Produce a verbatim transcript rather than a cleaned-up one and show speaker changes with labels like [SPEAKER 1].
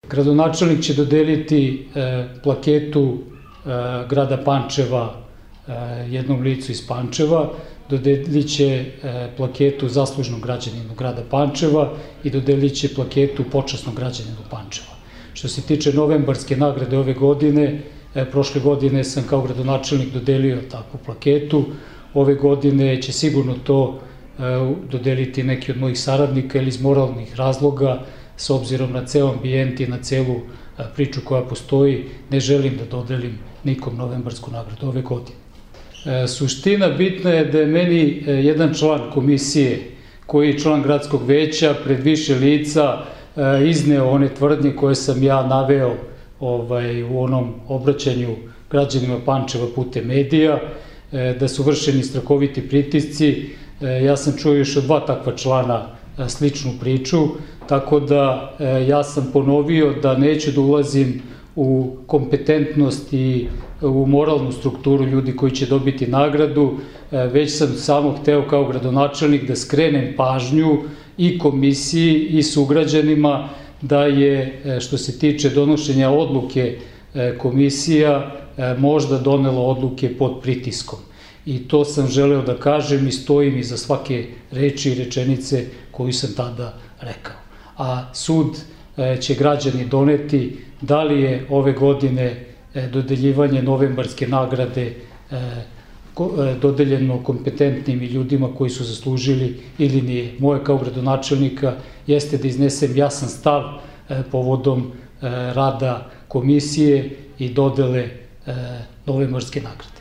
[SPEAKER 1] Gradonačelnik će dodeliti plaketu grada Pančeva jednom licu iz Pančeva, dodelit će plaketu zaslužnog građaninu grada Pančeva i dodelit će plaketu počasnog građaninu Pančeva. Što se tiče novembarske nagrade ove godine, prošle godine sam kao gradonačelnik dodelio takvu plaketu, ove godine će sigurno to dodeliti neki od mojih saradnika ili iz moralnih razloga, s obzirom na ceo ambijent i na celu priču koja postoji, ne želim da dodelim nikom novembarsku nagradu ove godine. Suština bitna je da je meni jedan član komisije, koji je član gradskog veća, pred više lica izneo one tvrdnje koje sam ja naveo u onom obraćanju građanima Pančeva putem medija, da su vršeni strahoviti pritisci. Ja sam čuo još od dva takva člana sličnu priču, tako da ja sam ponovio da neću da ulazim u kompetentnost i u moralnu strukturu ljudi koji će dobiti nagradu, već sam samo hteo kao gradonačelnik da skrenem pažnju i komisiji i sugrađanima da je, što se tiče donošenja odluke, komisija možda donela odluke pod pritiskom. I to sam želeo da kažem i stojim iza svake reči i rečenice koju sam tada rekao. A sud će građani doneti da li je ove godine dodeljivanje novembarske nagrade dodeljeno kompetentnim ljudima koji su zaslužili ili nije. Moje kao gradonačelnika jeste da iznesem jasan stav povodom rada komisije i dodele novembarske nagrade.